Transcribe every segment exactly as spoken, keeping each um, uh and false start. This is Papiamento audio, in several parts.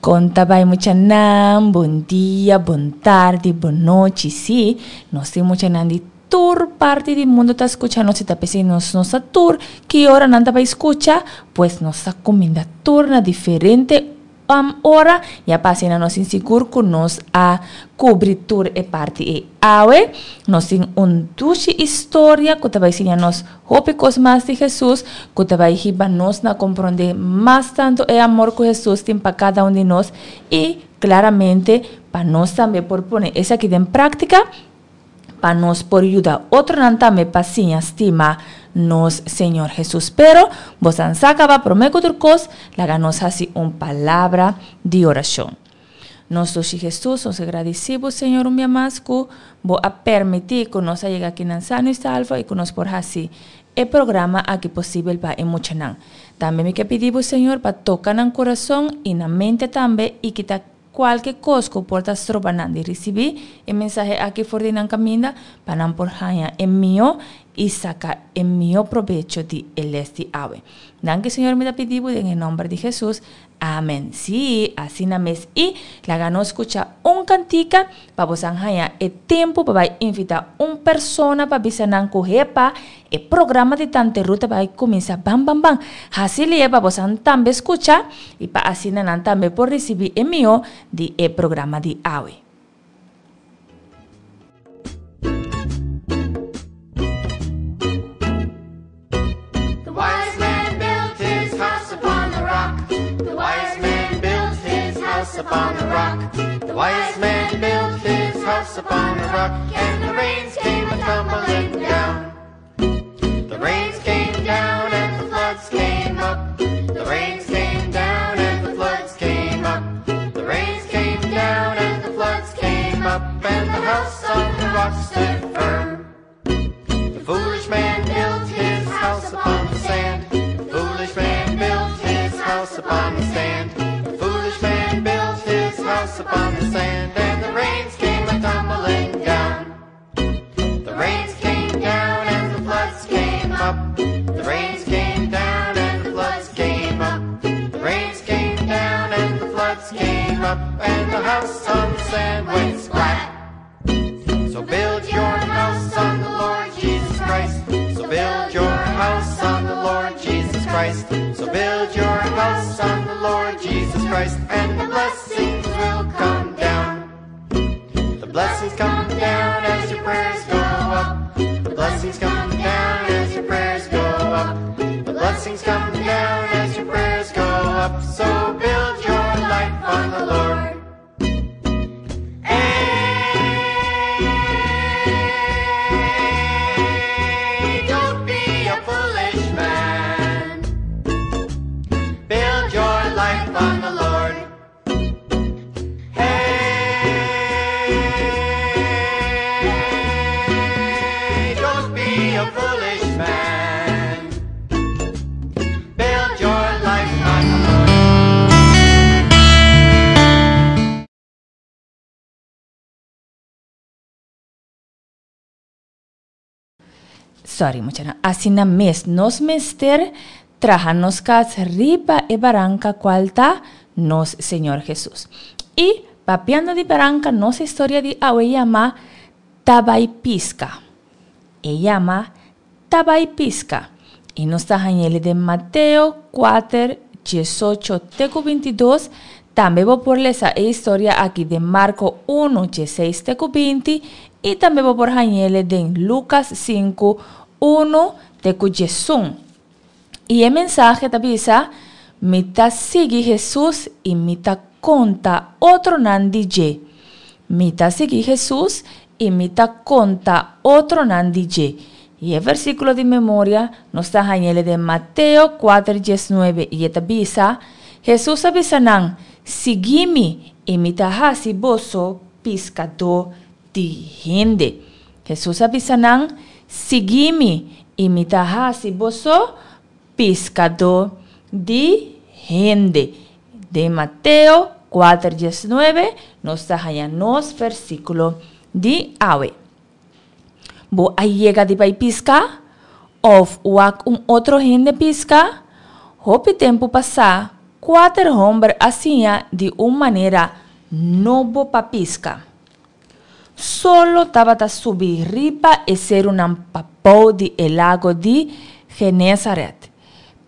Kon ta bai muchanan, bon dia, bon tardi, bon nochi. Sí, nos tin muchanan di tur parti di mundu ta skucha nos i ta p'esei nos no sa tur ki ora nan ta bai skucha, pues nos ta kuminda tur na diferente ora ya pa asina nos tin sigur ku nos a kubri tur e parti ei. Awe nos tin un dushi historia ku ta bai siña nos hopi kos mas di Hesus, ku ta bai hiba nos na komprondé mas tantu e amor ku Hesus tin pa kada un di nos i klaramente pa nos tambe por pone esaki den práktika pa nos por yuda otronan tambe pa siña stima nos Señor Hesus. Pero bosan sa kaba promé ku tur kos, laga nos hasi un palabra di orashon. Nos dushi Hesus, nos a gradisí bo, Señor, un bia mas ku bo a permití ku nos a yega akinan sano i salvo i ku nos por hasi e programa aki posibel pa e muchanan. Tambe mi ke pidi bo, Señor, pa toka nan kurason i nan mente tambe i kita Kualke kos ku por ta stroba nan di risibí e mensahe aki for di nan kaminda, pa nan por haña e mihó i saka e mihó probecho di e les di awe. Danki Señor mi ta pidi bo den e nòmber di Hesus. Amen. Sí, asina mes i laga nos skucha un kantika pa bosan haña e tempu pa bai invitá un persona pa bisa nan ku hepa e programa di Tante Ruth ta bai kuminsá ban ban ban. Hasi li'e pa bosan tambe skucha i pa asina nan tambe por risibí e mihó di e programa di awe. The wise man built his house upon the rock. The wise man built his house upon the rock. The wise man built his house upon the rock, and the rains came a tumbling down. The rains came down and the floods came up. The rains came down and the floods came up. The rains came down and the floods came up, and the house on the rock stood firm. The foolish man built his house upon the sand. The foolish man built his house upon the sand. The foolish man built his house upon the sand, and the rains came a tumbling down. The rains came down and the floods came up. The rains came down and the floods came up. The rains came down and the floods came up, and the house on the sand went splat. So build your house on the Lord Jesus Christ. So build your house on the Lord Jesus Christ. So build your house on the Lord Jesus Christ, and the blessings will come down. The blessings come down as your prayers go up. The blessings come down as your prayers go up. The blessings come down as your prayers go up. So build your life on the Lord. Hey, don't be a foolish man. Build your life on the Lord. Hey, don't be a foolish man. Build your life on the Lord. Sorry muchanan, asina mes nos mester traha nos kas riba e baranka kual ta nos Señor Hesus. I papiando di baranka nos historia di awe yama Ta bai piska. E yama Ta bai piska. I nos ta hañ'el den Mateo kuater diesocho te ku bintidos. Tambe bo por lesa e historia aki den Marko unu dieseis te ku binti i tambe bo por hañ'el den Lukas sinku unu te ku diesun. I e mensahe ta bisa, Mi ta sigui Hesus i mi ta konta otronan di dje. Mi ta sigui Hesus i mi ta konta otronan di dje. I e versíkulo di memoria nos ta hañ'el den Mateo kuater diesnuebe i e ta bisa, Hesus a bisa nan, Sigui mi, i mi ta hasi boso piskadó di hende. Hesus a bisa nan, Sigui mi, i mi ta hasi boso piskadó di hende. Den Mateo kuater diesnuebe nos ta haña nos versíkulo di awe. Bo a yega di bai piska? Òf wak un otro hende piska? Hopi tempu pasá, Kuater hòmber a siña di un manera nobo pa piska. Solo tabata subi riba e serunan pabou di e lago di Genesaret.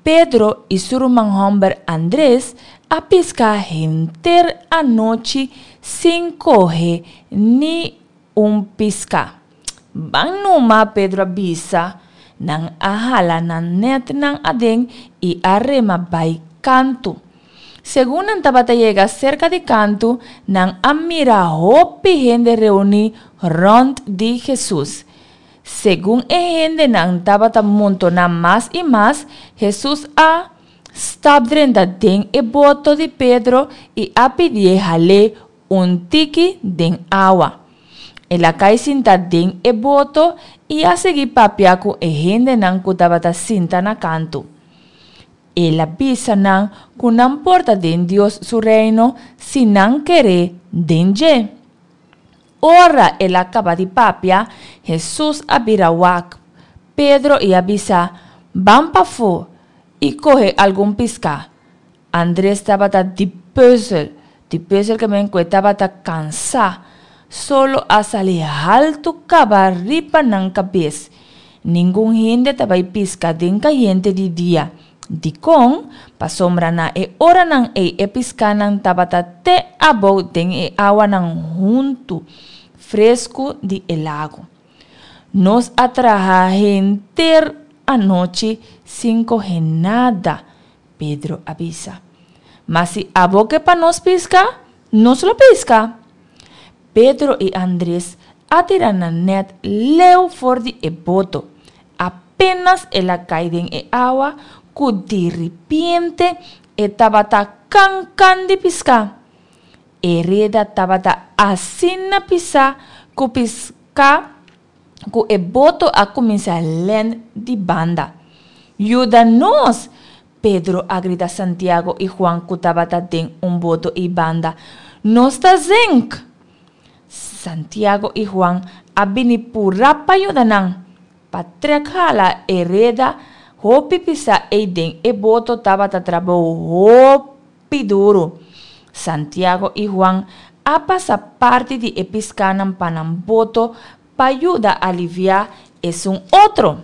Pedro i su ruman hòmber Andres a piska henter anochi sin kohe ni un piská. Ban numa, Pedro a bisa. Nan a hala nan nètnan aden i a rema bai kantu. Segun nan tabata yega serka di kantu, nan a mira hopi hende reuní rònt di Hesus. Segun e hendenan tabata montoná mas i mas, Hesus a stap drenta den e boto di Pedro i a pidié hal'é un tiki den awa. El a kai sinta den e boto i a sigui papia ku e hendenan ku tabata sinta na kantu. El a bisa nan ku nan por ta den Dios su Reino si nan kere den dje. Ora el a kaba di papia, Hesus a bira wak Pedro i a bisa, Ban pafó i kohe algun piská. Andres tabata di pùzel, di pùzel ke men ku e tabata kansá. Solo a sali haltu kaba riba nan kabes. Ningun hende ta bai piska den kayente di dia. Dikon? Pasobra na e oranan ei e piskánan tabata te abou den e awanan huntu, fresku di e lago. Nos a traha henter anochi sin kohe nada, Pedro a bisa. Ma si abo ke pa nos piska, nos lo piska. Pedro i Andres a tira nan nèt leu for di e boto. Apénas el a kai den e awa ku diripiente e tabata kan kan di piská. E reda tabata asina pisá ku piská ku e boto a kuminsá lèn di banda. Yuda nos! Pedro a grita Santiago i Juan ku tabata den un boto ei banda. Nos ta zenk! Santiago i Juan a bini purá pa yuda nan. Pa trèk hala e reda hopi pisá ei den e boto tabata trabou hopi duru. Santiago i Juan a pasa parti di e piskánan pa nan boto pa yuda aliviá esun otro.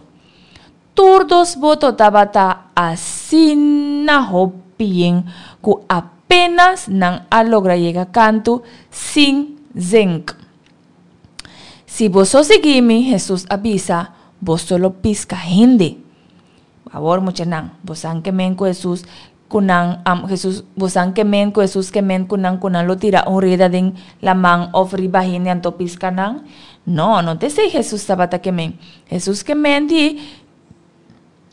Tur dos boto tabata asina hopi yen ku apénas nan a logra yega kantu sin zenk. Si boso sigui mi, Hesus a bisa, boso lo piska hende. Awor muchanan, bosan ke men ku Hesus ku nan am Hesus bosan ke men ku Hesus ke men ku nan ku nan lo tira un reda den laman òf riba hende anto piska nan? No, no ta esei Hesus tabata ke men. Hesus ke men di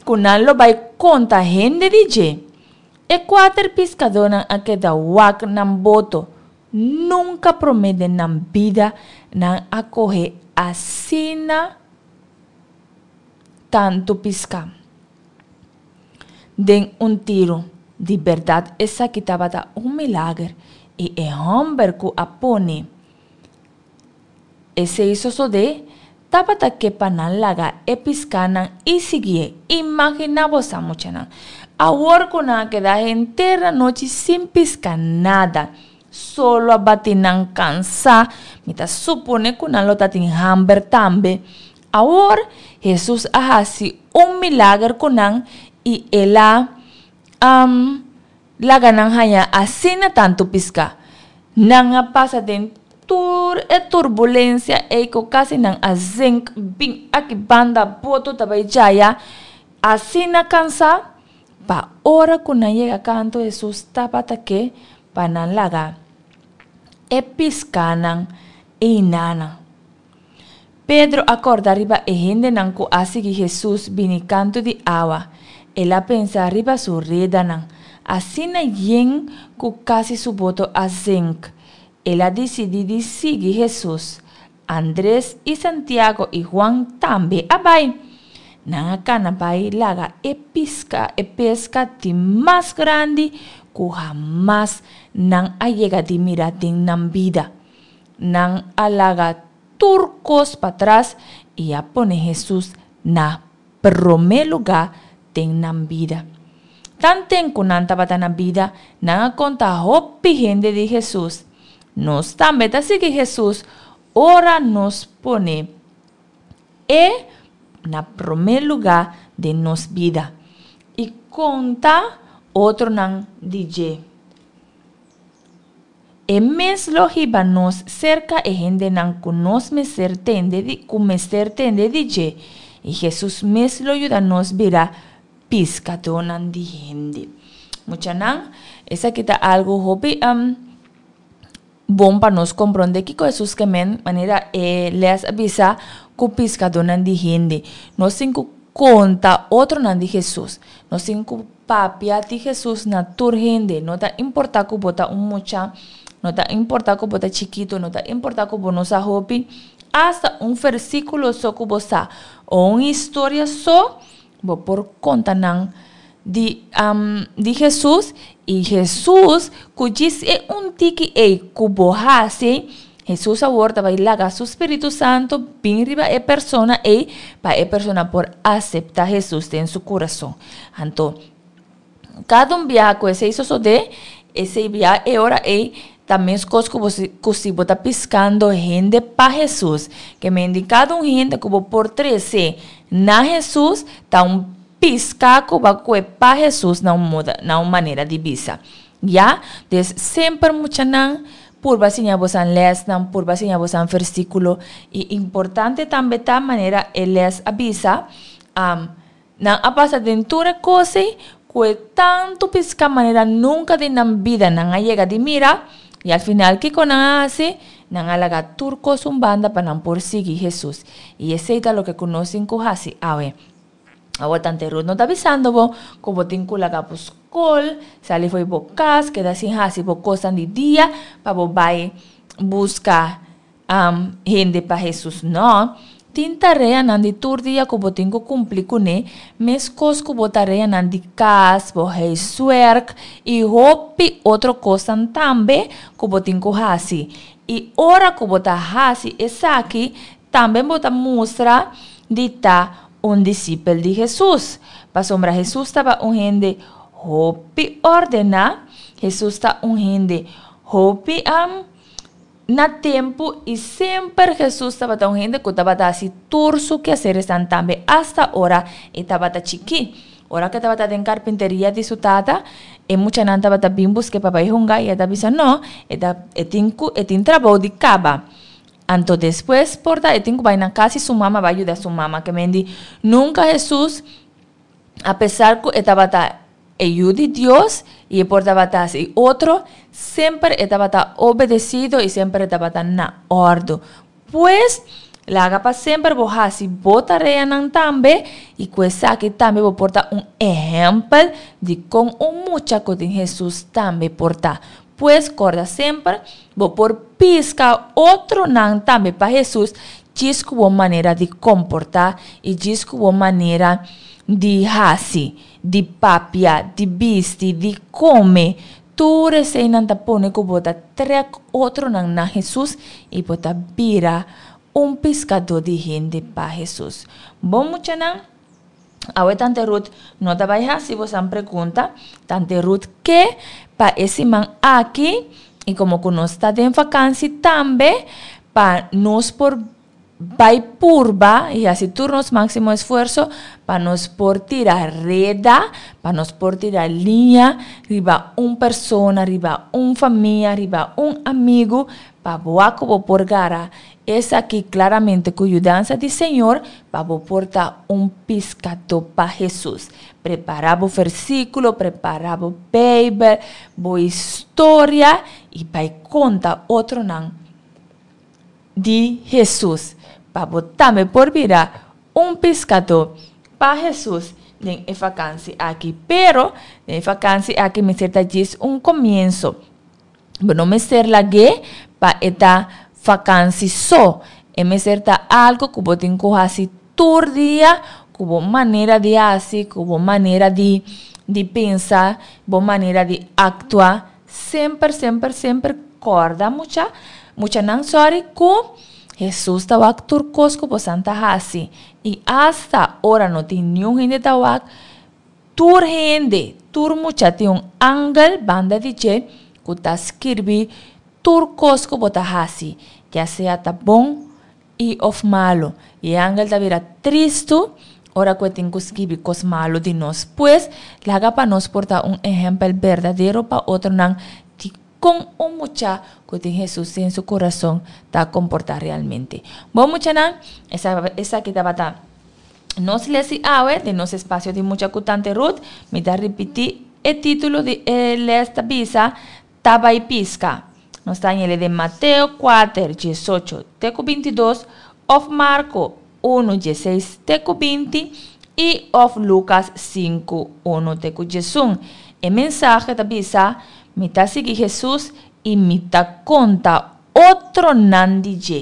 ku nan lo bai konta hende di dje. E kuater piskadónan a keda wak nan boto. Nunka promé den nan bida nan a kohe asina tantu piská den un tiru. Di bèrdat esaki tabata un milager i e hòmber ku a pone esei sosodé tabata ke pa nan laga e piskánan i siguié. Imaginá bo sa, muchanan, awor ku nan a keda henter anochi sin piska nada. Solo a bati nan kansá, mi ta supone ku nan lo ta tin hamber tambe. Awor, Hesus a hasi un milager ku nan i el a laga nan haña asina tantu piská. Nan a pasa den tur e turbulensia ei ku kasi nan a zenk bin aki banda boto ta bai djaya asina kansá, pa ora ku nan yega kantu Hesus tabata ke pa nan laga e piskánan einanan. Pedro a kòrda riba e hendenan ku a sigui Hesus bini kantu di awa. El a pensa riba su redanan, asina yen ku kasi su boto a zenk. El a disidí di sigui Hesus. Andres i Santiago i Juan tambe a bai. Nan a kana bai laga e piska e peska di mas grandi ku hamas nan a yega di mira den nan bida. Nan a laga tur kos patras i a pone Hesus na promé lugá den nan bida. Tanten ku nan tabata na bida, nan a konta hopi hende di Hesus. Nos tambe ta sigui Hesus ora nos pone e na promé lugá den nos bida i konta otronan di dje. E mes lo hiba nos serka e hendenan ku nos mester tende di ku mester tende di dje, i Hesus mes lo yuda nos bira piskadónan di hende. Muchanan, esaki ta algu hopi um, bon pa nos komprondé kiko Hesus ke men, manera e les a bisa ku piskadónan di hende. Nos tin ku konta otronan di Hesus. Nos tin ku papia di Hesus na tur hende. No ta importá ku bo ta un mucha, no ta importá ku bo ta chikitu, no ta importá ku bo no sa hopi, asta un versíkulo so ku bo sa o un historia so, bo por konta nan di, um, di Hesus i Hesus ku djis e un tiki ei ku bo hasi, Hesus awor ta bai laga su Spiritu Santu bin riba e persona ei pa e persona por aseptá Hesus den su kurason. Anto, kada un biaha ku esei sosodé, esei biaha e ora ei ta meskos ku bo si ku si bo ta piskando hende pa Hesus. Ke men di kada un hende ku bo por trese na Hesus ta un piská ku bo a kue pa Hesus na un moda na un manera di bisa. Ya, des semper muchanan purba siña bosan lèsnan, purba siña bosan versíkulo i importante tambe ta manera e lès a bisa, nan a pasa den tur e kos ei ku e tantu piská manera nunka den nan bida nan a yega di mira, i al final kiko nan a hasi? Nan a laga tur kos un banda pa nan por sigui Hesus. I esei ta loke ku nos tin ku hasi awe. Awor tante Ruth no ta bisando bo ku bo tin ku laga bo skol, sali fo'i bo kas, keda sin hasi bo kosnan di dia pa bo bai buska hende pa Hesus. No, tin tareanan di tur dia ku bo tin ku kumpli kuné, meskos ku bo tareanan di kas, bo huiswerk i hopi otro kosnan tambe ku bo tin ku hasi. I ora ku bo ta hasi esaki, tambe bo ta mustra di ta un disipel di Hesus. Pasobra Hesus taba un hende hopi ordená, Hesus ta un hende hopi na tempu i semper Hesus tabata un hende ku tabata hasi tur su keaseresnan tambe asta ora e tabata chikí. Ora ku e tabata den karpinteria di su tata, e muchanan tabata bin busk'é pa bai hunga i e ta bisa no, e ta e tin ku e tin trabou di kaba. Anto despues por ta e tin ku bai na kas i su mama bai yuda su mama. Ke men di nunka Hesus apesar ku e tabata e Yu di Dios i e por tabata hasi otro, semper e tabata obedesido i semper e tabata na òrdu. Pues, laga pa semper bo hasi bo tareanan tambe i ku esaki tambe bo por ta un ehèmpel di kon un mucha ku tin Hesus tambe por ta. Pues, kòrda semper, bo por piska otronan tambe pa Hesus djis ku bo manera di komportá i djis ku bo manera di hasi, di papia, di bisti, di kome. Tur eseinan ta pone ku bo ta trèk otronan na Hesus i bo ta bira un piskadó di hende pa Hesus. Bon muchanan, awe Tante Ruth no ta bai hasi bosan pregunta. Tante Ruth ke pa e siman aki, i komo ku nos ta den vakansi tambe, pa nos por bai purba i hasi tur nos máksimo esfuerso pa nos por tira reda, pa nos por tira liña riba un persona, riba un famia, riba un amigu, pa bo wak ku bo por gara esaki klaramente ku yudansa di Señor pa bo por ta un piskadó pa Hesus. Prepará bo versíkulo, prepará bo Beibel, bo historia i bai konta otronan di Hesus pa bo tambe por bira un piskadó pa Hesus den e fakansi aki. Pero den e fakansi aki mester ta djis un komienso. Bo no mester lag'é pa e ta fakansi so. E mester ta algu ku bo tin ku hasi tur dia ku bo manera di hasi, ku bo manera di di pensa, bo manera di aktua. Semper, semper, semper kòrda mucha, muchanan sòri, ku Hesus ta wak tur kos ku bosan ta hasi. I asta ora no tin niun hende ta wak, tur hende, Tur mucha tin un angel banda di dje ku ta skirbi tur kos ku bo ta hasi, ya sea ta bon i òf malu. I e angel ta bira tristu ora ku e tin ku skibi kos malu di nos. Pues, laga pa nos por ta un ehèmpel berdadero pa otronan di kon un mucha ku tin Hesus den su kurason ta komportá realmente. Bon muchanan, esaki tabata nos les di awe den nos espasio di Mucha ku Tante Ruth. Mi ta ripití e título di e les ta bisa, Ta bai piska. Nos ta hañ'e den Mateo kuater, diesocho te ku bintidos, òf Marko unu, dieseis te ku binti i òf Lukas sinku, unu te ku diesun. E mensahe ta bisa, Mi ta sigui Hesus i mi ta konta otronan di dje.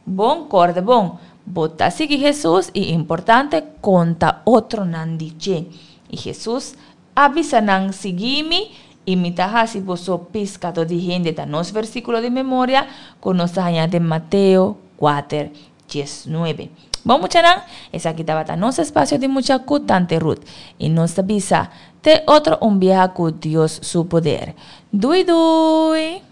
Bon, kòrda bon, bo ta sigui Hesus i importante, konta otronan di dje. I Hesus a bisa nan, Sigui mi i mi ta hasi boso piskadó di hende. Ta nos versíkulo di memoria ku nos ta haña den Mateo kuater, diesnuebe. Bon muchanan, esaki tabata nos espasio di mucha ku Tante Ruth. I nos ta bisa te otro un biaha ku Dios su poder. Dui dui!